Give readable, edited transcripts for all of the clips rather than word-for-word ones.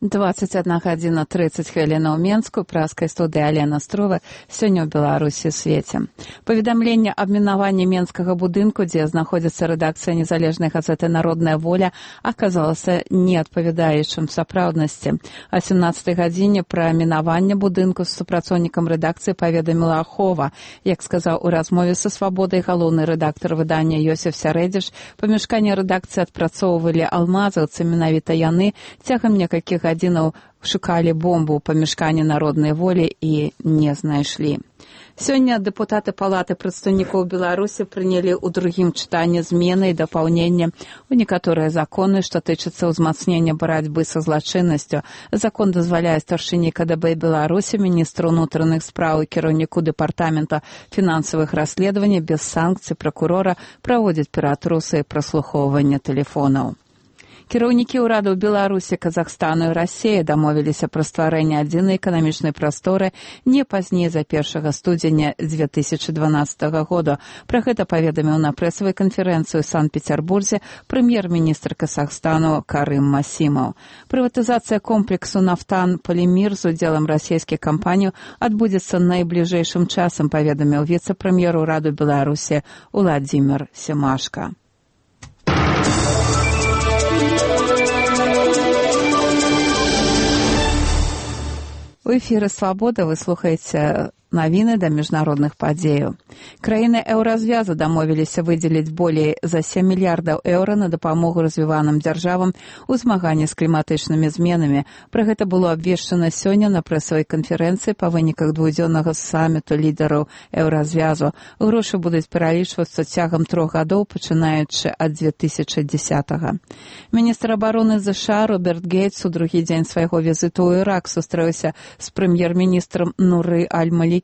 21:30 ў Менску, праскай студыі Алена Строва, сёння ў Беларусі свеце. Паведамленне аб мінаванні менскага будынку, дзе знаходзіцца рэдакцыя незалежнай газеты «Народная воля», аказалася неадпавядаючым сапраўднасці. О 17 гадзіне пра мінаванне будынку з супрацоўнікам рэдакцыі паведаміла Ахова. Як сказаў у размове са «Свабодай» галоўны рэдактар выдання Йосиф Сярэдзіш, памяшканне рэдакцыі адпрацоўвалі алмазаўцы, менавіта яны цягам некалькіх гадзінаў шукалі бомбу ў памяшканні «Народнай волі» і не знайшлі. Сёння дэпутаты Палаты прадстаўнікоў Беларусі прынялі ў другім чытанні змены і дапаўнення ў некаторыя законы, што тычацца ўзмацнення барацьбы са злачыннасцю. Закон дазваляе старшыні КДБ Беларусі, міністру ўнутраных спраў і кіраўніку дэпартамента фінансавых расследаванняў без санкцый пракурора праводзіць ператрусы і праслухоўванне тэлефонаў. Кіраўнікі ўрадаў Беларусі, Казахстану і Расіі дамовіліся пра стварэнне адзінай эканамічнай прасторы не пазней за 1 студзеня 2012 года. Пра гэта паведаміў на прэсавай канферэнцыі ў Санкт-Петербурзе прэм'ер-міністр Казахстану Карым Масімаў. Прыватызацыя комплексу «Нафтан-Полимир» з удзелам расійскіх кампаній адбудзецца найбліжэйшым часам, паведаміў віцэ-прэм'ер ураду Беларусі Уладзімір Семашка. У эфіры «Свабода» вы слухаеце навіны да міжнародных падзеяў. Краіны еўразвязу дамовіліся выдзеліць болей за 7 мільярдаў еўра на дапамогу развіваным дзяржавам у змаганні з кліматычнымі зменамі. Пра гэта было абвешчана сёння на прэсавай канферэнцыі па выніках двухдзённага саміту лідараў еўразвязу. Грошы будуць пералічвацца цягам 3 гадоў, пачынаючы ад 2010-го. Міністр абароны ЗША Роберт Гейтс у другі дзень свайго візіту ў Ірак сустрэўся з прэм'ер-міністрам Нуры Аль-Малікі.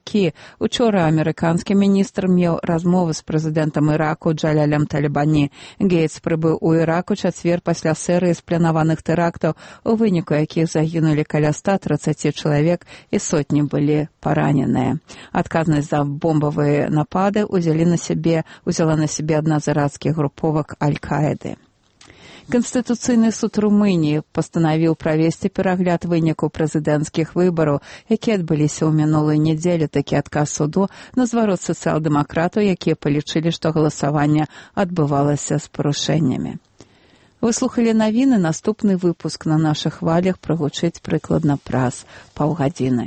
Учора амерыканскі міністр меў размову з прэзідэнтам Іраку Джалялем Талібані. Гейтс прыбыў у Ірак у чацвер пасля серыі спланаваных тэрактаў, у выніку якіх загінулі каля 130 чалавек і сотні былі параненыя. Адказнасць за бомбавыя напады ўзяла на сябе адна з іракскіх груповак Аль-Каіды. Канстытуцыйны суд Румыніі пастанавіў правесці перагляд вынікаў прэзідэнцкіх выбараў, якія адбыліся ў мінулую нядзелю. Такі адказ суду на зварот сацыял-дэмакратаў, якія палічылі, што галасаванне адбывалася з парушэннямі. Вы слухалі навіны, наступны выпуск на нашых хвалях прагучыць прыкладна праз паўгадзіны.